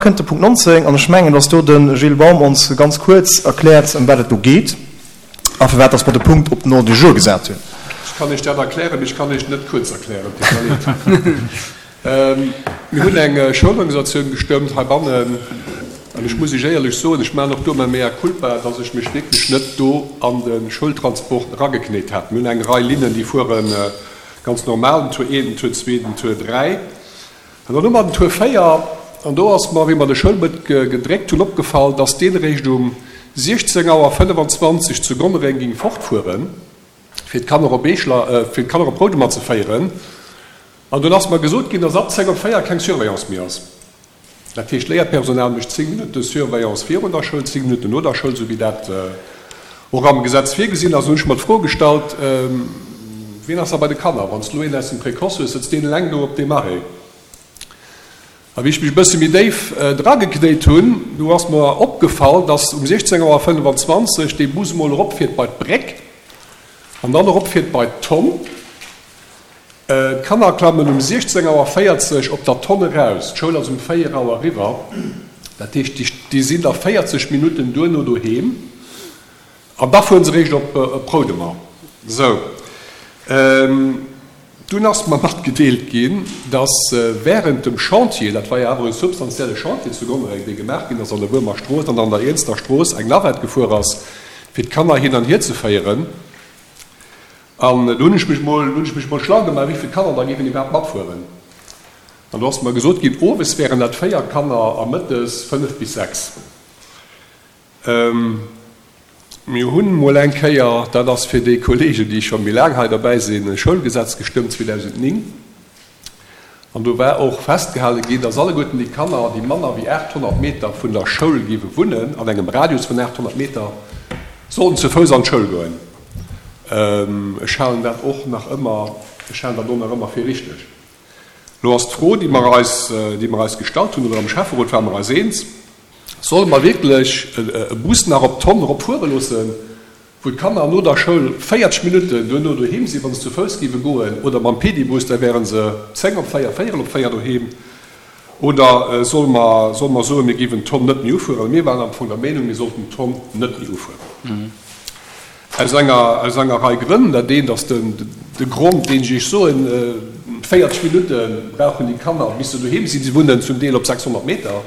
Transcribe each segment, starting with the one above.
kënnt de Punkt 19, an ech mengen, dass do de Gilles Baum ons ganz kuerz erkläert, ëm wat et do geet a firwat dass mer de Punkt op den Ordre du jour gesat hunn. Ech kann Iech dat erklären, mee ech kann Iech et net kuerz erklären. Et deet mer leed. Mir hunn eng Schoulorganisatioun gestëmmt heibannen, an ech muss Iech éierlech soen, ech maachen och do mäi Mea culpa, dass ech mech wierklech net do an de Schoultransport erageknéit hat. Mir hunn eng Rei Linnen, déi fuere ganz normal, den Tour 1, den Tour 2, den Tour 3. An dann hu mer den Tour 4, an do ass mer, wéi mer de Schoulbëtt gedréckt hunn, opgefall, dass deen eréischt um 16 Auer 25 zu Gonnereng ging fortfueren, fir d'Kanner op Eeschler, fir d'Kanner op Roudemer ze féieren. An dunn ass mer gesot ginn, dass ab 10 op 4 keng Surveillance méi ass. Dat heescht, d'Léierpersonal mécht 10 Minutte Surveillance virun der Schoul, 10 Minutten no der Schoul, esou wéi dat och am Gesetz virgesinn ass. An hunn ech mer d'Fro gestallt, Wien ass da bei de Kanner? Wann s de elo een aus dem Précoce hues, sëtzt deen eleng do op deem Arrêt? A wéi ech mech e bësse méi déif drageknéit hunn, du ass mer opgefall, dass um 16 Auer 25 dee Bus emol eropfiert bei d'Bréck an dann eropfiert bei d'Tonn. D'Kanner klammen um 16 Auer 40 op der Tonn eraus. D'Schoul ass um 4 Auer eriwwer. Dat heescht, déi sinn da 40 Minutten duerno doheem an da fuere se eréischt op Roudemer. Sou, dunn ass mer matgedeelt ginn, dass wärend dem Chantier, dat war jo awer e substantielle Chantier zu Gonnereng, dee gemaach ginn ass an der Wuermer Strooss an an der Iernster Strooss, eng Navette gefuer ass, fir d'Kanner hin an hier ze féieren. An do hunn ech mech mol, hunn ech mech mol schlau gemaach, wéi vill Kanner da géifen iwwerhaapt matfueren. An do ass mer gesot ginn, owes wären dat 4 Kanner a mëttes 5 bis 6. Mir hunn mol eng Kéier, dat ass fir déi Kollegen, déi scho méi laang hei derbäi sinn, e Schoulgesetz gestëmmt 2009. An do war och festgehale ginn, dass alleguerten déi Kanner, déi manner wéi 800 Meter vun der Schoul géiwe wunnen, an engem Radius vun 800 Meter, sollten zu Fouss an d'Schoul goen. Ech halen dat och nach ëmmer, ech halen dat och nach ëmmer fir richteg. Elo ass d'Fro, déi mer eis, déi mer eis gestallt hunn, oder am Schäfferot ware mer eis eens, Solle mer wierklech e Bus nach op d'Tonn eropfuere loossen, wou d'Kanner no der Schoul 40 Minutten duerno doheem sinn, wa se zu Fouss géiwe goen, oder mam Pedibus, da wäre se 10 op 4, véierel op 4 doheem. Oder solle mer, solle mer soen, mir géiwen d'Tonn net méi ufueren? Mir waren am Fong der Meenung, mir sollten d'Tonn net méi ufueren. Aus enger, aus enger Rei Grënn. Dat eent ass den, de Grond, deen ech Iech soen, 40 Minutte brauchen déi Kanner, bis se doheem sinn. Si wunnen zum Deel op 600 Meter.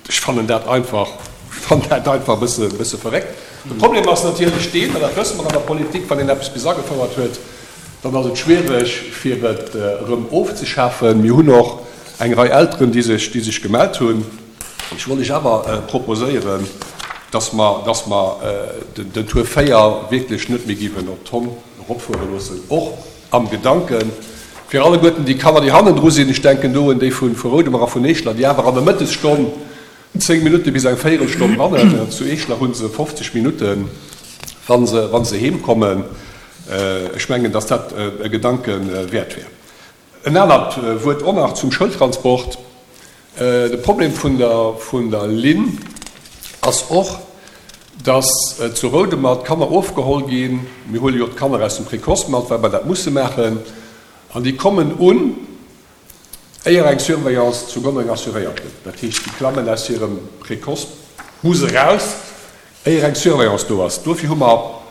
Ech fannen dat einfach, ech fannen dat einfach e bësse, e bësse verréckt. De Problem ass natierlech deen, an dat wësse mer an der Politik, wann een eppes bis agefouert huet, dann ass et schwiereg, fir et erëm ofzeschafen. Mir hunn och eng Rei Elteren, déi sech, déi sech gemellt hunn. Ech wollt Iech awer proposéieren, dass mer, dass mer den Tour 4 wierklech net méi géiwen op d'Tonn eropfuere loossen, och am Gedanken, fir alleguerten déi Kanner, déi hannendru sinn, ech denken do un déi vu Roudemer a vun Eeschler, déi awer an der Mëttesstonn 10 Minutte bis eng Véierelstonn wannen. Zu Eeschler hu se 50 Minutten, wa se, wa se heemkommen. Ech mengen, dass dat e Gedanke wäert wär. En anert Wuert och nach zum Schoultransport. De Problem vun der, vun der Linn ass och, dass zu Roudemer d'Kanner ofgeholl ginn. Mir huele jo d'Kanner aus dem Précoce mat, well mer dat musse maachen. An déi kommen un, éier eng Surveillance zu Gonnereng assuréiert gëtt. Dat heescht, déi klammen aus hirem Précoce-Bus eraus, Éier eng Surveillance do ass. Dofir hu mer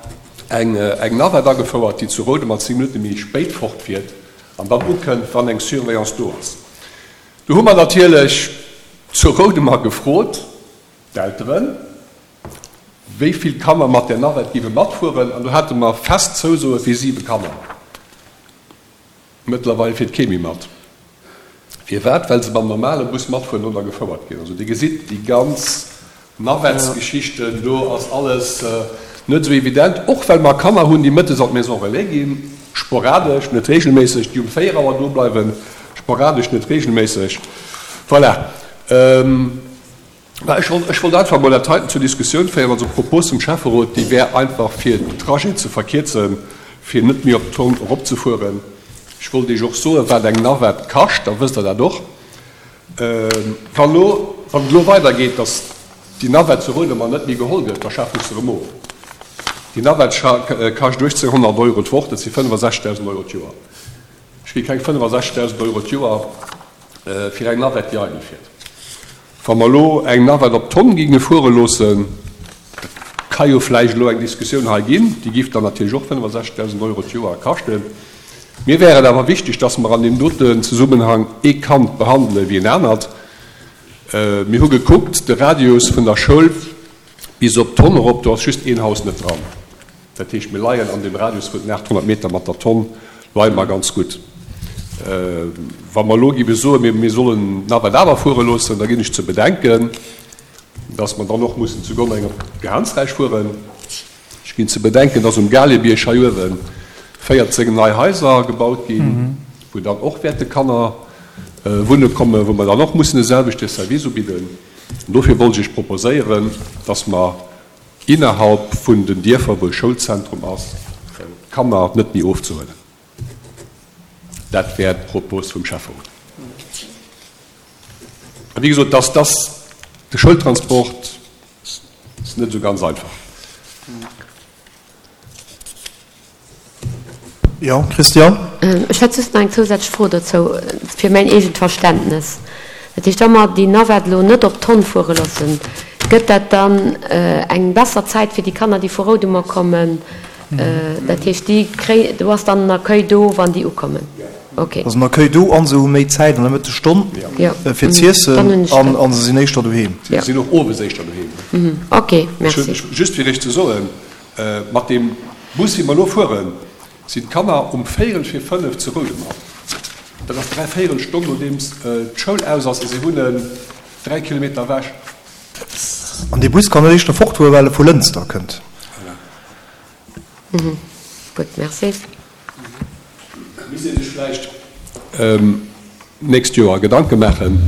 eng Navette agefouert, déi zu Roudemer 10 Minutte méi spéit fortfiert an dann ukënnt, wann eng Surveillance do ass. Do hu mer natierlech zu Roudemer gefrot, d'Elteren, wéi vill Kanner mat där Navette géiwe matfueren, an do hate mer fest Zousoe fir siwe Kanner. Mëttlerweil fiert kee méi mat. Firwat? Well se mam normale Bus matfueren oder gefouert ginn. Also Dir gesitt, déi ganz Navettesgeschichten, do ass alles net esou evident. Och well mer Kanner hunn, déi mëttes an d'Maison relais ginn, sporadesch, net regelméisseg, déi um 4 Auer do bleiwen, sporadesch, net regelméisseg. Voilà. Mä ech wollt, ech wollt einfach emol dat heiten zur Diskussioun féieren, also d'Propos vum Schäfferot, déi wär einfach fir den Trajet ze verkierzen, fir net méi op d'Tonn eropzefueren. Ech wollt Iech och soen, wat eng Navette kascht, da wësst Der dat och. Wann elo, wann et elo weidergeet, datt déi Navette zu Roudemer net méi geholl gëtt, da schafen ech se erëm of. Déi Navette kascht 1.800 Euro d'Woch, dat si 65.000 Euro d'Joer. Ech gi keng 65.000 Euro d'Joer fir eng Navette, déi eidel fiert. Wa mer elo eng Navette op d'Tonn géinge fuere loossen, dat ka jo vläicht elo eng Diskussioun hei ginn, déi géif dann natierlech och 65.000 Euro d'Joer kaschten. Mir wär et awer wichteg, dass mer an deem doten Zesummenhang ee Kand behandele wéi en anert. Mir hu gekuckt, de Radius vun der Schoul bis op d'Tonn erop, do ass just een Haus net dran. Dat heescht, mir leien an deem Radius vun den 800 Meter mat der Tonn leie mer ganz gutt. Wa mer elo géife soen, mir sollen d'Navette awer fuere loossen, da ginn ech ze bedenken, dass mer dann och mussen zu Gonnereng op Gehaansräich fueren. Ech ginn ze bedenken, dass um Galebierg hei uewe 14 nei Haiser gebaut ginn, wou dann och wäerte Kanner wunne kommen, wou mer dann och mussen e selwechte Service ubidden. An dofir wollt ech Iech proposéieren, dass mer innerhalb vun den Dierfer, wou e Schoulzentrum ass, d'Kanner net méi ofzehuelen. Dat wär d'Propos vum Schäfferot. A wéi gesot, dass dass de Schoultransport ass net esou ganz einfach. Jo, Christian? Ech hätt just nach eng zousätzlech Fro dozou, fir mäin eegent Verständnes. Dat heescht, wa mer déi Navette elo net op d'Tonn fuere loossen, gëtt dat dann eng besser Zäit fir déi Kanner, déi vu Roudemer kommen? Dat heescht, déi kréien, do ass dann en Accueil do, wann déi ukommen? Ok. Ass en Accueil do an se hu méi Zäit an der Mëttesstonn fir z'iessen an se sinn éischter doheem. Si sinn och owes éischter doheem. Ok, merci. Just fir Iech ze soen, Mat deem Bus, wéi mer elo fueren, sinn d'Kanner um véierel vir fënnef zu Roudemer. Dat ass dräivéierel Stonn, nodeems d'Schoul aus ass, a si wunnen 3 Kilometer ewech. An dee Bus kann net éischter fortfueren, well e vu Lënster kënnt. Voilà. Gutt, merci. Misst ee sech vläicht d'nächst Joer Gedanke maachen,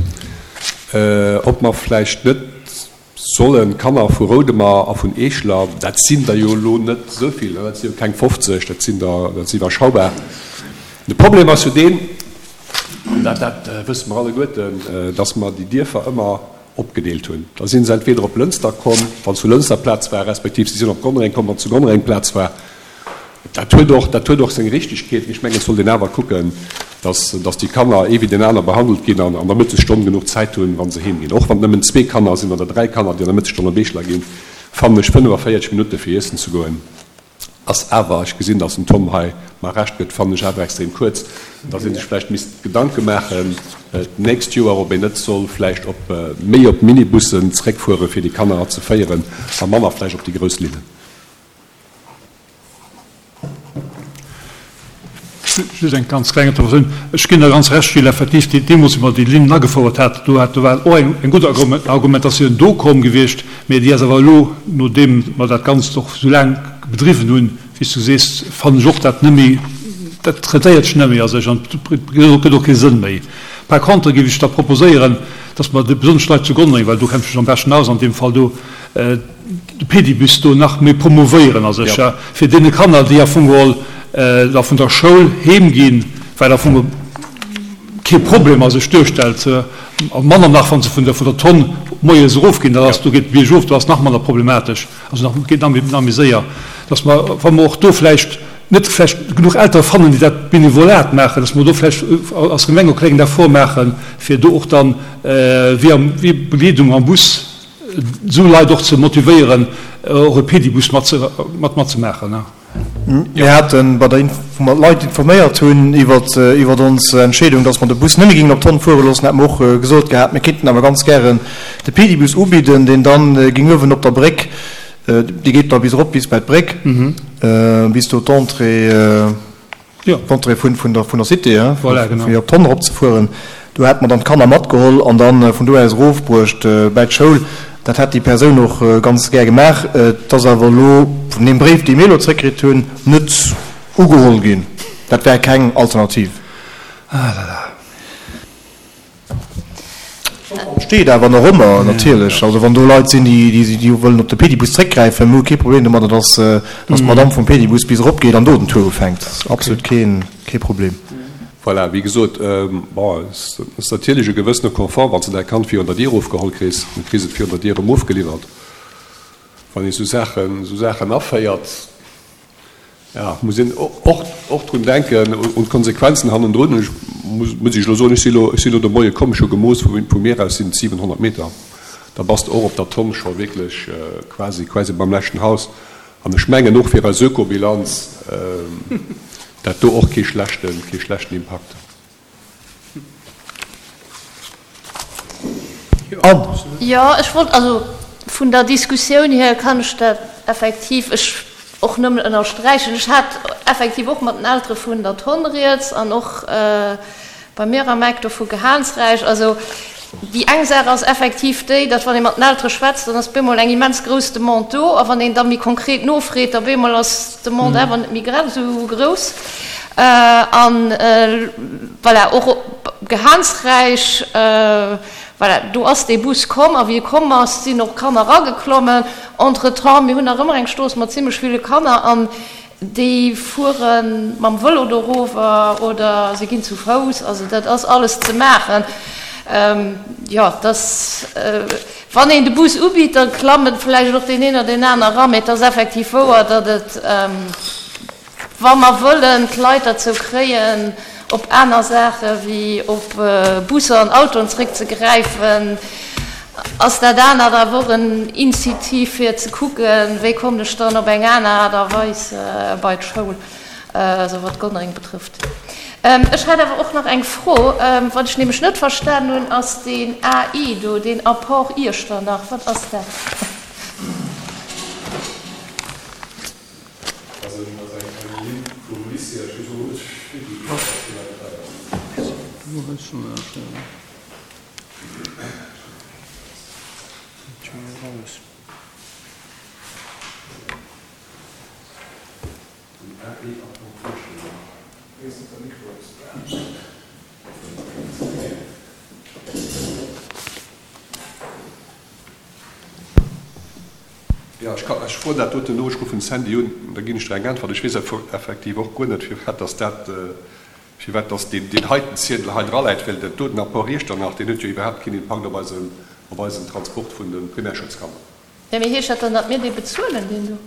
ob mer vläicht net Sollen d'Kanner vu Roudemer a vun Eeschler, dat sinn der jo elo net esou vill, dat si jo keng 50, dat sinn der, dat ass iwwerschaubar. De Problem ass jo deen, an dat, dat wësse mer alleguerten, dass mer déi Dierfer ëmmer opgedeelt hunn. Da si se entweder op Lënster komm, wann zu Lënster Plaz war, respektiv si sinn op Gonnereng komm, wann zu Gonnereng Plaz war. Dat huet och, dat huet och seng Richtigkeet, mee ech mengen, et sollt een awer kucken, dass, dass déi Kanner ee wéi deen aner behandelt ginn an an der Mëttesstonn genuch Zäit hunn, wa se heem ginn. Och wann et nëmmen zwee Kanner sinn oder dräi Kanner, déi an der Mëttesstonn op Eeschler ginn, fannen ech 45 Minutte fir iessen ze goen ass awer, ech gesinn, dass den Tom hei mer Recht gëtt, fannen ech awer extrem kuerz, dass ee sech vläicht misst Gedanke maachen d'nächst Joer, ob een net soll vläicht op méi op Minibussen zréckfuere fir déi Kanner ze féieren a manner vläicht op déi grouss Linnen. Just eng ganz kleng Interventioun. Ech ginn der ganz Recht, Gilles, effektiv, deemools, wéi mer déi Linnen agefouert haten, do hat, do war och eng, eng gutt Argumentatioun do komm gewiescht, mä déi ass awer elo, nodeem mer dat Ganzt och esou laang bedriwwen hunn, wéi s du sees, fannen ech och dat net méi, dat rentéiert sech net méi a sech an et gëtt och kee Sënn méi. Par contre géif ech da proposéieren, dass mer, besonnesch d'Leit zu Gonnereng, well do kenne ech mech am beschten aus an deem Fall do, de Pedibus do nach méi promouvéieren a sech, fir deene Kanner, déi am Fong geholl da vun der Schoul heem ginn, wat am Fong kee Problem a sech duerstellt, a manner nach, wa se vun der vun der Tonn moies erofginn, dat ass, do geet biergof, do ass nach manner problematesch, also nach geet nach méi nach méi séier, dass mer, wa mer och do vläicht net vläicht genuch Eltere fannen, déi dat Benevolat maachen, dass mer do vläicht als Gemeng e klengen Effort maachen, fir do och dann wéi am wéi Begleedung am Bus, esou Leit och ze motivéieren, och e Pedibus mat matzemaachen. Mir haten bei der Inf, wou mer d'Leit informéiert hunn iwwert iwwert ons Entscheedung, dass mer de Bus net méi géingen op d'Tonn fuere loossen, hate mer och gesot gehat, mir kéinten awer ganz gären de Pedibus ubidden, deen dann géing uewen op der Bréck, dee geet da bis erop bis bei d'Bréck, bis do d'Entrée, D'Entrée vun vun der vun der Cité, hein, voilà, genau. fir op d'Tonn eropzefueren. Do hätte mer dann d'Kanner matgeholl an dann vun do aus erofbruecht bäi d'Schoul. Dat hätt déi Persoun och ganz gär gemaach. Et ass awer elo, vun deem Bréif, dee mir elo zréckkritt hunn, net ugeholl ginn. Dat wär keng Alternativ. Ah là là. Steet awer nach ëmmer natierlech. Also wann do Leit sinn, déi wëllen op de Pedibus zréckgräifen, mir hu kee Problem domadder, datt d'Madamm vum Pedibus bis erop geet an do den Tour ufänkt. Dat ass absolut kee Problem. Voilà, wéi gesot, bon, et ass natierlech e gewëssene Confort, wann s de däi Kand virun der Dier ofgeholl kriss, du kriss et virun der Dier erëm ofgeliwwert. Wann ee sou Saachen, sou Saachen aféiert, Jo, muss een och och drun denken, un d'Konsequenzen hannendrun. Ech muss, muss ech elo soen, ech si elo, ech si elo de Moie komm, ech hu gemooss, vu, vu mir aus sinn et 700 Meter. Da bass de och op der Tonn scho wierklech quasi, quasi beim leschten Haus. An ech mengen och fir eis Ökobilanz dat do och kee schlechten, kee schlechten Impakt. Jo, ech wollt, also vun der Diskussioun hier kann ech dat effektiv ech och nëmmen ënnersträichen. Ech hat effektiv och mat den Eltere vun der Tonn rieds an och bei mir am Eck do vu Gehaansräich. Also déi eng Saach ass effektiv déi, datt wann ee mat den Eltere schwätzt, dann ass bemol eng immens grouss Demande do a wann een da méi konkret nofreet, da bemol ass d'Demande awer net méi grad esou grouss. An voilà, och op Gehaansräich, voilà, do ass dee Bus komm a wéi e komm ass, sinn och Kanner erageklommen. Entretemps, mir hunn nach ëmmer eng Strooss mat zimlech ville Kanner an déi fuere mam Vëlo dorower oder se ginn zu Fouss. Also dat ass alles ze maachen. Jo, dass, wann een de Bus ubitt, da klammen vläicht och deen een oder deen aner eran. Mee et ass effektiv wouer, datt et, Wa mer wëllen d'Leit derzou kréien, op aner Saache wéi op Busser an Autoen zréckzegräifen, ass dat anert awer och en Initiativ fir ze kucken, wéi kommen ech dann op eng aner Aart a Weis bei d'Schoul, also wat Gonnereng betrëfft. Ech hätt awer och nach eng Fro. Wat ech nämlech net verstanen hunn, ass deen AI do, deen Apport Iechternach. Wat ass dat? Jo, ech ka, ech froen dat doten no, ech ruffen de Sandy un, da ginn ech der eng Äntwert. Ech weess effektiv och guer net, firwat dass dat, firwat dass deen, deen heiten Ziedel hei draläit, well dat doten Apport Iechternach, deen huet jo iwwerhaapt keen Impakt op eisen, op eisen Transport vun de Primärschoulskanner. Jo, mee heescht dat dann, datt mir dee bezuelen, deen do?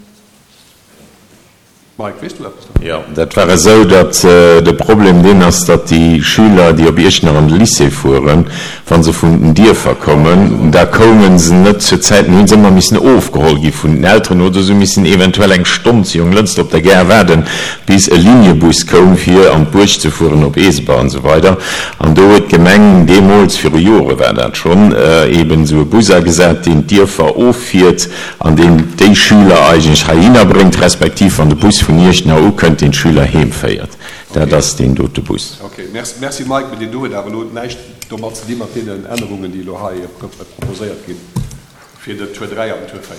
Mike, weess du eppes dovun? Jo, dat war esou, datt de Problem deen ass, datt déi Schüler, déi op Iechternach an de Lycée fueren, wa se vun den Dierfer kommen, da koume se net zur Zäit, dann hu se ëmmer missen ofgeholl gi vun den Elteren oder se hu missen eventuell eng Stonn zu Jonglënster op der Gare waarden, bis e Liniebus koum, fir an d'Buerg ze fueren, op Eeseber an esou weider. An do huet d'Gemeng deemools, viru Jore war dat schonn, eeben esou e Bus agesat, deen d'Dierfer offiert, an deen déi Schüler eigentlech heihinner bréngt, respektiv wann de Bus vun Iechternach ukënnt, deen d'Schüler heem féiert. Dat ass deen dote Bus. Ok, merci Mike, mee deen do huet awer elo näischt domat ze di mat deenen Ännerungen, déi elo hei proposéiert ginn fir den Tour 3 an den Tour 4.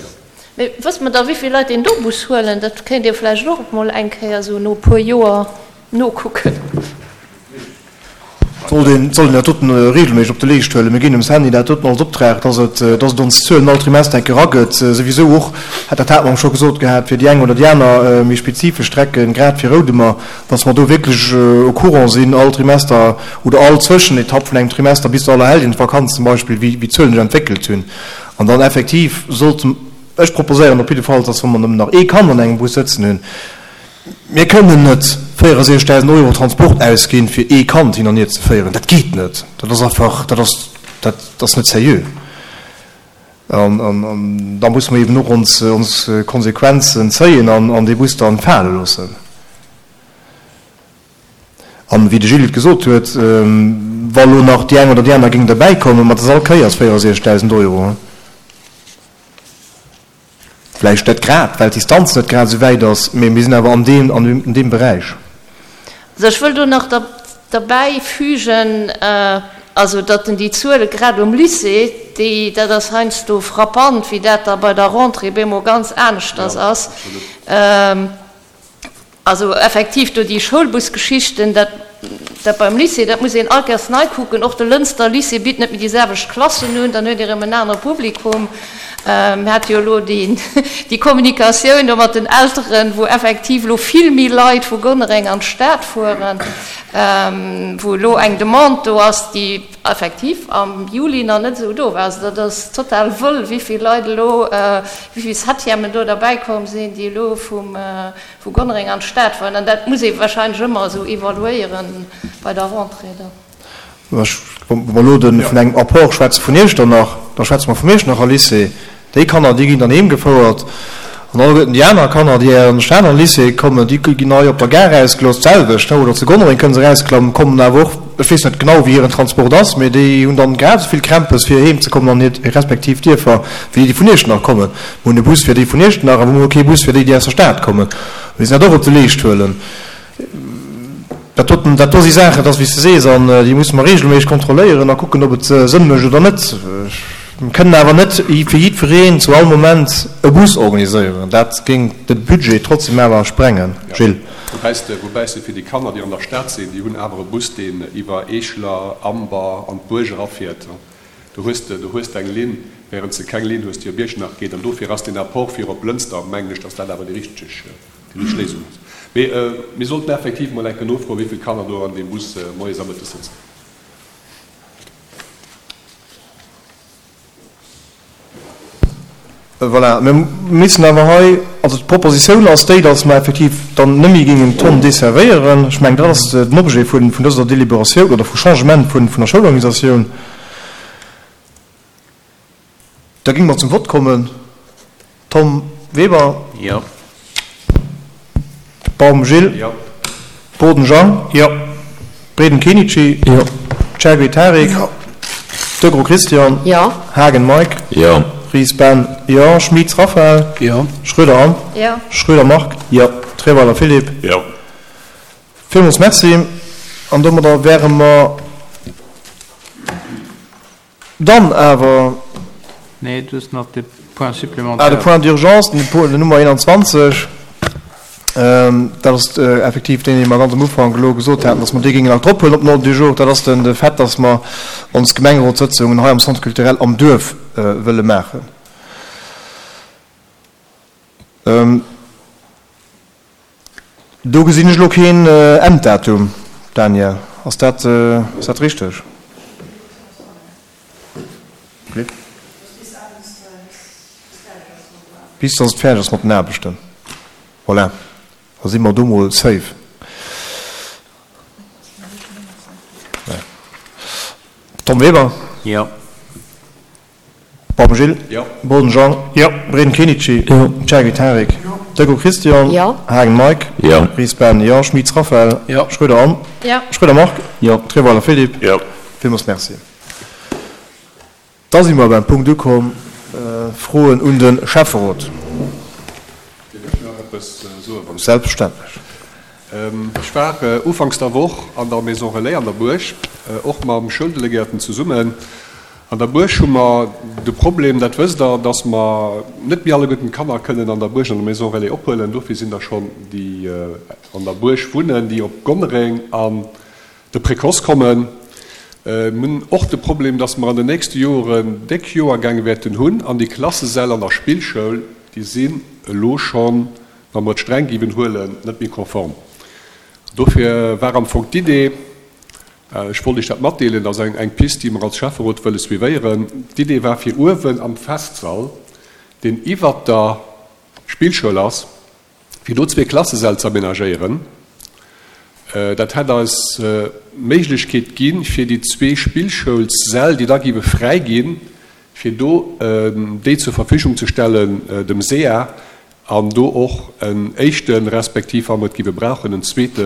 Mee wësst mer da wéivill Leit deen do Bus huelen? Dat kéint ee vläicht och mol eng Kéier esou no e puer Joer nokucken. Sollt een, sollt een dat doten regelméisseg op de Leescht huelen. Mir ginn dem Sandy dat doten als Optrag, dass et, dass et ons d'Zuelen all Trimester eng Kéier eragëtt. Souwisou och, hat dat hate mer scho gesot gehat, fir déi eng oder déi aner méi spezifesch Strecken, grad fir Roudemer, dass mer do wierklech au courant sinn all Trimester oder all Zwëschenetapp vun engem Trimester bis zur Allerhelljenvakanz zum Beispill, wéi, wéi d'Zuelen sech entwéckelt hunn. An dann effektiv sollte, ech proposéieren op jidde Fall, dass wa mer nëmmen nach ee Kand an engem Bus sëtzen hunn, Mir kënnen net 64.000 Euro Transport ausginn, fir ee Kand hin an hier ze féieren. Dat geet net. Dat ass einfach, dat ass, dat ass net seriö. An da musse mer eben och ons, ons Konsequenzen zéien an dee Bus dann fale loossen. An wéi de Gilles et gesot huet, wa lo nach déi eng oder déi aner géing derbäikommen, ma dat ass all Kéiers 64.000 Euro. Vläicht net grad, well d'Distanz net grad esou wäit ass, mee mir sinn awer an deem, an deem Beräich. Also ech wëll do nach derbäi fügen, also datt en déi Zuele grad um Lycée, déi, dat ass heiansdo frappant, wéi dat da bei der Rentrée bemol ganz aneschters ass. Also effektiv do déi Schoulbusgeschichten, dat dat beim Lycée, dat muss een all Kéiers nei kucken. Och de Lënster Lycée bitt net méi déi selwecht Klassen un, dann huet Dir erëm en anere Publikum. Mir hate jo elo déi déi Kommunikatioun do mat den Elteren, wou effektiv elo vill méi Leit vu Gonnereng an d'Stad fueren, wou elo eng Demande do ass, déi effektiv am Juli nach net esou do war. Also dat ass total wëll, wéi vill Leit elo, wéi vill Septièmen do derbäikomm sinn, déi elo vum, vu Gonnereng an d'Stad fueren. An dat muss ee wahrscheinlech ëmmer esou evaluéiere bei der Rentrée dann. Wa mer elo vun engem Apport schwätze vun Iechternach, da schwätze mer vum Iechternacher Lycée. Déi Kanner, déi ginn dann heem gefouert. An alleguerten déi aner Kanner, déi an de Stater Lycée kommen, déi ginn hei op der Gare erausgelooss, d'selwecht, oder zu Gonnereng kënne se erausklammen, kommen awer och, ech weess net genau, wéi hiren Transport ass, mee déi hunn dann grad esou vill Krämpes, fir heem ze kommen an hir respektiv Dierfer, wéi déi, déi vun Iechternach kommen. Mir hunn e Bus fir déi vun Iechternach, awer mir hu kee Bus fir déi, déi aus der Stad kommen. Mir müssen dat och op de Leescht huelen. Dat doten, dat do si Saachen, dat ass wéi s de sees, an déi musse mer regelméisseg kontrolléieren a kucken, ob et Sënn mécht oder net. Mir kënnen awer net fir jiddwereen zu all Moment e Bus organiséieren. Dat géing de Budget trotzdem awer sprengen, Gilles. Woubäi s de, woubäi s de fir déi Kanner, déi an der Stad sinn, déi hunn awer e Bus, deen iwwer Eeschler, Amber an d'Buerg erafiert. Do hues de, do hues de eng Linn, während s de keng Linn hues, déi op Iechternach geet. An dofir ass deen Apport fir op Lënster, mengen ech, datt dat awer déi richteg, déi richteg Léisung ass. Mee mir sollten effektiv mol eng Kéier nofroen, wéi vill Kanner do an deem Bus moies a mëttes sëtzen. Voilà, mir missen awer hei, also d'Propositioun ass déi, datt mer effektiv dann net méi géingen d'Tonn desservéieren. Ech mengen, dat ass den Objet vun dëser Deliberatioun oder vu Changement vun der Schoulorganisatioun. Da géinge mer zum Vott kommen. Tom Weber. Jo. Baum Gilles. Jo. Boden Jean. Jo. Breden Kenichi. Jo. Chergui Tarik. Jo. Degros Christian. Jo. Haagen Mike. Jo. Ries Ben. Jo. Schmitz Raphaël. Jo. Schroeder Anne. Jo. Schroeder Marc. Jo. Treweiler Philippe. Jo. Villmools Merci. An domadder wäre mer. Dann awer. Nee, du hues nach de Point supplémentaire. Ah, de Point d'urgence, den Nummer 21, dat ass effektiv deen, dee mer ganz am Ufank elo gesot haten, dass mer dee géingen nach drop huelen op den Ordre du jour. Dat ass den, de Fait, dass mer ons Gemengerotssëtzungen hei am Centre culturel am Duerf wëlle maachen. Do gesinn ech elo keen Enddatum, Daniel, ass dat ass dat richteg? Bis dass et fäerdeg ass mat den Aarbechten. Voilà, da si mer do mol safe. Tom Weber? Jo. Baum Gilles. Jo. Boden Jean. Jo. Breden Kenichi. Jo. Chergui Tarik. Jo. Deco Christian. Jo. Haagen Mike. Jo. Ries Ben. Jo. Schmitz Raphaël. Jo. Schroeder Anne. Jo. Schroeder Marc. Jo. Treweiler Philippe. Jo. Villmools Merci. Da si mer beim Punkt ukomm, Froen un de Schäfferot. Dierf ech nach eppes soen, wann ech. Selbstverständlech. Ech war ufanks der Woch an der Maison Relais an der Buerg, och mam Schouldelegéierten zesummen. An der Buerg hu mer de Problem, dat wësst Der, dass mer net méi alleguerten d'Kanner kënnen an der Buerg an der Maison Relais ophuelen. Dofir sinn der schonn, déi an der Buerg wunnen, déi op Gonnereng an de Précoce kommen. Mir hunn och de Problem, dass mer an den nächste Joren déck Joergäng wäerten hunn an déi Klassesäll an der Spillschoul, déi sinn elo schonn, wa mer et streng géiwen huelen, net méi konform. Dofir war am Fong d'Idee, ech wollt Iech dat matdeelen, dat ass eng Pist, déi mer als Schäfferot wëlle suivéieren, d'Idee war fir uewen am Festsall, deen iwwert der Spillschoul ass, fir do zwee Klassesäll ze aménagéieren. Dat hätt eis d'Méiglechkeet ginn, fir déi zwee Spillschoulssäll, déi da géiwe fräi ginn, fir do déi zur Verfügung ze stellen dem sea an do och en éischten, respektiv wa mer et géiwe brauchen, en zweete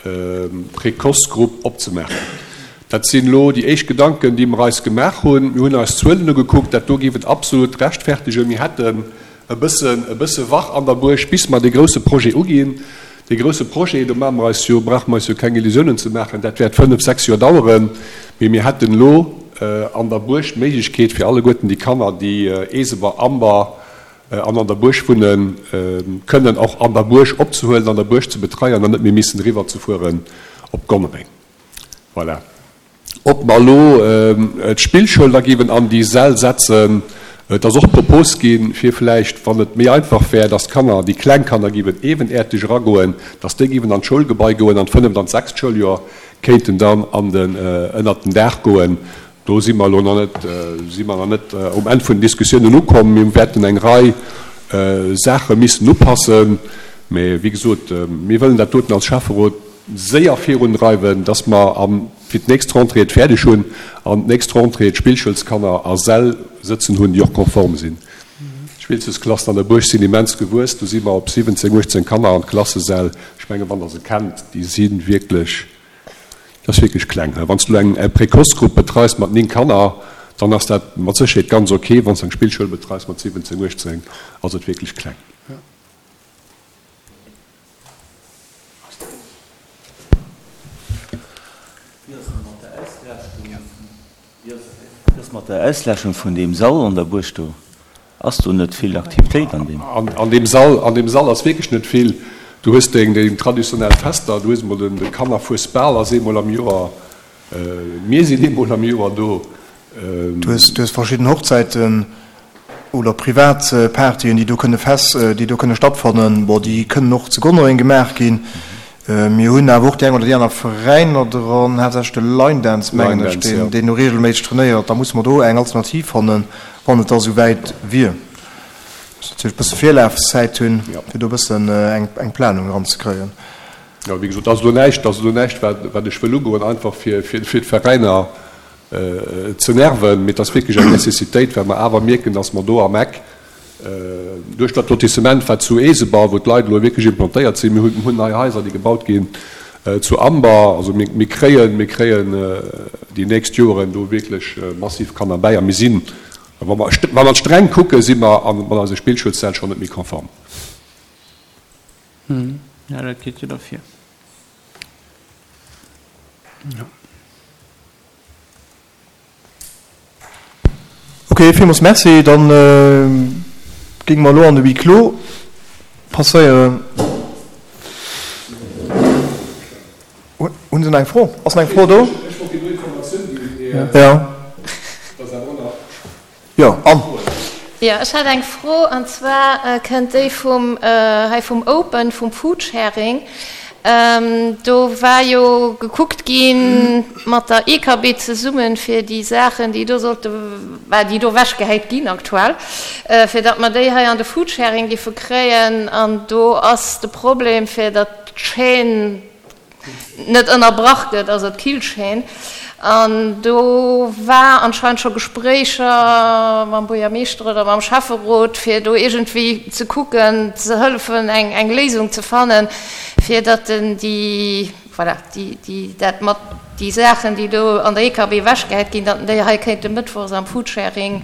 Précoce-Grupp opzemaachen. Dat sinn elo déi éischt Gedanken, déi mer eis gemaach hunn. Mir hunn eis d'Zuelen ugekuckt. Dat do géif et absolut rechtfertegen. Mir hätten e bëssen, e bësse wach an der Buerg, bis mer dee grouse Projet uginn. Dee grouse Projet, do maache mer eis jo, brauche mer eis jo keng Illusiounen ze maachen, dat wäert fënnf, sechs Joer daueren. Mee mir hätten elo an der Buerg d'Méiglechkeet fir alleguerten déi Kanner, déi Eeseber, Amber an an der Buerg wunnen, kënnen och an der Buerg opzehuelen, an der Buerg ze betreien an net méi missen eriwwerzefueren op Gonnereng. Voilà. Ob mer elo d'Spillschoul da géiwen an déi Säll setzen, et ass och d'Propos ginn, fir vläicht, wann et méi einfach wär, dass d'Kanner, déi kleng Kanner géiwen ewenäerteg eragoen, dass déi géiwen an d'Schoulgebai goen an d'fënneft an d'sechst Schouljoer kéinten dann an den, ënnert den Daach goen. Do si mer elo nach net, si mer nach net um Enn vun den Diskussiounen ukomm. Mir wäerten eng Rei Saache missen upassen. Mä wéi gesot, mir wëllen dat doten als Schäfferot séier virundreiwen, dass mer am. fir d'nächst Rentrée et fäerdeg hunn an d'nächst Rentrée d'Spillschoulskanner a Säll sëtzen hunn, déi och konform sinn. D'Spillschoulsklassen an der Buerg sinn immens gewuess, do si mer op 17, 18 Kanner an d'Klassesäll, ech mengen, wann Der se kennt, déi si wierklech, dat ass wierklech kleng. Wann s du eng Précoce-Grupp betreis mat 9 Kanner, dann ass dat mat Sécherheet ganz ok, wann s du eng Spillschoul betreis mat 17, 18, ass et wierklech kleng. Wéi ass mat der Ausläschung vun deem Sall an der Buerg do? Ass do net vill Aktivitéit an deem? An deem Sall, an deem Sall ass wierklech net vill. Du hues deng traditionell Fester, du hues emol de Kannerfuesbal ass eemol am Joer, mir sinn eemol am Joer do. Du hues verschidden Hochzäiten oder privat Partyen, déi do kënne fest, déi do kënne stattfannen. Bon, déi kënnen och zu Gonnereng gemaach ginn. Mir hunn awer och déi eng oder déi aner Veräiner dran, haaptsächlech de Line Dance, mengen ech, deen, deen do reegelméisseg trainéiert. Da musse mer do eng Alternativ fannen, wann et da sou wäit wier. Muss natierlech e bësse Virlafszäit hunn, fir do e bëssen eng, eng Planung eranzekréien. Jo, wéi gesot, dat ass elo näischt, dat ass elo näischt, wat, wat ech wëll ugoen, einfach fir, fir, fir d'Veräiner ze nerven, mee et ass wierklech eng Nécessitéit, well mer awer mierken, dass mer do am Eck duerch dat Lotissement, wat zu Eeseber, wou d'Leit elo wierklech implantéiert sinn, mir hunn nei Haiser, déi gebaut ginn zu Amber, also mir kréien, mir kréien déi nächst Joren do wierklech massiv Kanner bäi a mir sinn, wa mer, wa mer streng kucken, si mer mat eise Spillschoulssäll schonn net méi konform. Jo, dat geet jo da vir. Jo. Ok, villmools Merci. Dann géinge mer elo an de Huis clos passéieren. Hunn se nach eng Fro? Ass nach eng Fro do? Ech wollt déi Informatioun ginn, mee dat ass awer och nach. Jo, Anne. Jo, ech hat eng Fro, an zwar kënnt déi vum hei vum Open, vum Foodsharing. Do war jo gekuckt gi mat der EKB zesummen, fir déi Saachen, déi do sollte, bah, déi do ewechgehäit ginn aktuell, fir datt mer déi hei an de Foodsharing géife kréien. An do ass de Problem, fir datt d'Chaîne net ënnerbrach gëtt, also d'Killchaîne. An do war anscheinend scho Gespréicher mam Buergermeeschter oder mam Schäfferot, fir do iergendwéi ze kucken, ze hëllefen, eng, eng Léisung ze fannen, fir datt en déi, voilà, déi, déi, dat mat déi Saachen, déi do an der EKB ewechgehäit ginn, datt en déi hei kéinte mëttwochs am Foodsharing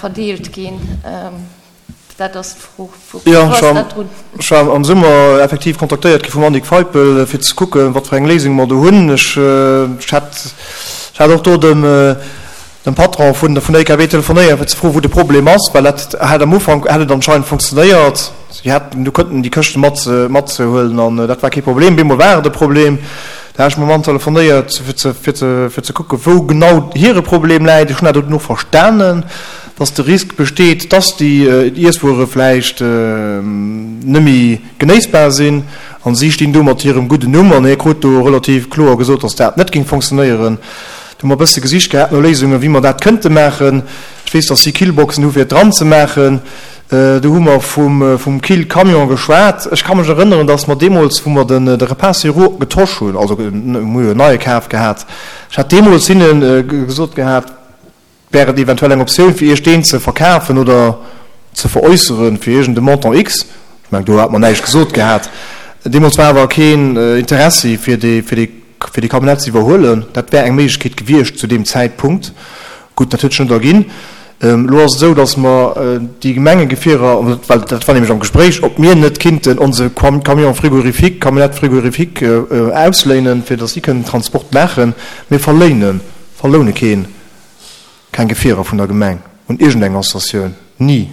verdeelt ginn. Dat ass d'Fro. Wou ass dat drun? Ech war am Summer effektiv kontaktéiert gi vum Annick Feipel, fir ze kucken, wat fir eng Léisung mer do hunn. Ech hat, ech hat och do dem, dem Patron vun der EKB telefonéiert, fir ze froen, wou de Problem ass, well dat hat am Ufank hat et anscheinend funktionéiert. Si hätten do kënnten déi Këschte mat, matzehuelen an dat war kee Problem. Bemol war et e Problem. Da hat ech mam Mann telefonéiert, fir ze, fir ze, fir ze kucken, wou genau hire Problem läit. Ech hunn dat och verstanen. dass de Risk besteet, dass déi Iesswuere vläicht net méi genéissbar sinn, an si stinn do mat hirem gudden Numm, an hie krut do relativ kloer gesot, dass dat net géing fonctionnéieren. Do hu mer e bësse gesicht gehat no Léisungen, wéi mer dat kënnte maachen. Ech weess, dass si Killboxen hu fir et dran ze maachen. Do hu mer vum Killcamion geschwat. Ech ka mech erënneren, dass mer deemools, wou mer de Repas sur roues getosch hunn, also mir hu jo en neie kaf gehat, ech hat deemools hinne gesot gehat, Wär et eventuell eng Optioun fir Iech deen ze verkafen oder ze veräusseren fir iergend e Montant X? Ech mengen do hat mer näischt gesot gehat. Deemools war awer keen Interessi fir dee fir dee fir dee Camionnette ze iwwerhuelen. Dat wär eng Méiglechkeet gewiescht zu deem Zäitpunkt. Gutt, dat huet sech net erginn. Elo ass et esou, datt mer déi Gemengegefierer, well dat war nämlech am Gespréich, ob mir net kinnten onse Camion frigorifique, Camionnette frigorifique ausléinen, fir datt si kënnen Transport maachen. Mir verléinen, verloune keen. Keng Gefierer vun der Gemeng un iergendeng Associatioun, ni.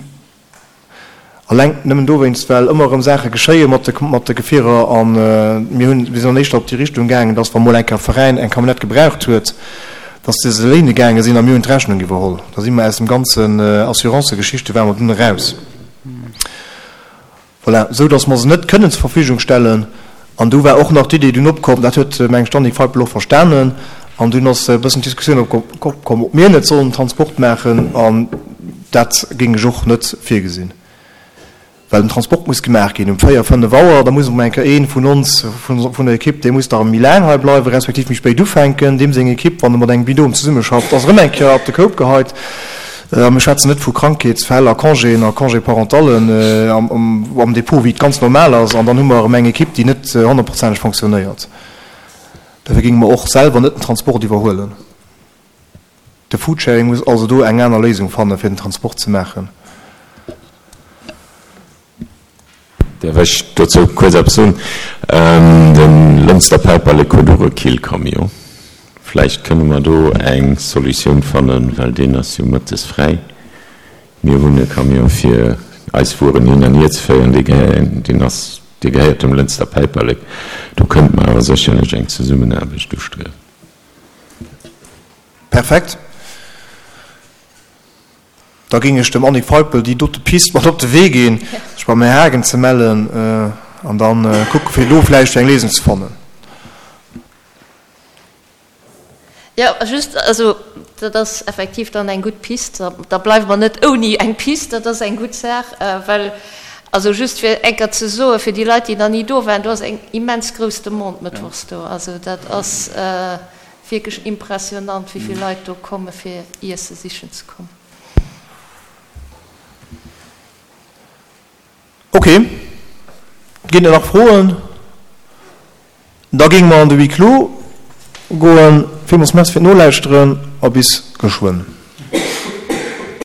Alleng nëmmen dowéinst, well ëmmer erëm Saache geschéie mat de mat de Gefierer a mir hunn, mir sinn dann éischter op déi Richtung gaangen, dass wa mol eng Kéier e Veräin eng Camionnette gebraucht huet, dass se se léine gaange sinn a mir hunn d'Rechnung iwwerholl. Da si mer aus dem ganzen Assurancegeschichte ware mer dunn eraus. Voilà, esou datt mer se net kënnen zur Verfügung stellen. An du war och nach d'Idee dunn opkomm, dat huet, meng ech, d'Annick Feipel och verstanen, an dunn ass e bëssen d'Diskussioun opkomm, ob mir net sollen Transport maachen, an dat géing ech och net virgesinn. Well den Transport muss gemaach ginn um 4, 5 Auer. Da muss emol eng Kéier ee vun ons, vun der Ekipp, dee muss da erëm méi laang hei bleiwen, respektiv méi spéit ufänken. Deem seng Ekipp, wann e mat engem Binôme zesummeschafft, ass erëm eng Kéier op de Koup geheit. A mir schwätzen net vu Krankheetsfäll a Congéen a Congé-parentallen am Depot, wéi et ganz normal ass. An dann hu mer erëm eng Ekipp, déi net honnertprozenteg fonctionnéiert. Dofir géinge mer och selwer net den Transport iwwerhuelen. De Foodsharing muss also do eng aner Léisung fannen, fir den Transport ze maachen. Däerf ech dozou kuerz eppes soen? De Lënster Päiperlek huet och e Killcamion. Vläicht kënne mer do eng Solutioun fannen, well deen ass jo mëttes fräi. Mir hunn e Camion fir eis Wueren hin an hier ze féieren, deen ass, dee gehéiert dem Lënster Päiperlek. Do kënnte mer awer sécherlech eng Zesummenaarbecht ustriewen. Perfekt. Da géing ech dem Annick Feipel déi dote Pist mat op de Wee ginn, sech beim Här Haagen ze mellen an da kucke fir do vläicht eng Léisung ze fannen. Jo, just, also dat ass effektiv dann eng gutt Pist. Da bleiwe mer net ouni eng Pist, dat ass eng gutt Saach, well, also just fir eng Kéier ze soen, fir déi Leit, déi nach ni do waren, do ass eng immens grouss Demande mëttwochs do. Also dat ass wierklech impressionant, wéi vill Leit do komme fir Iesse sichen ze kommen. Ok, ginn et nach Froen? Da géinge mer an de Huis clos goen. Villmools Merci fir d'Nolauschteren a bis geschwënn.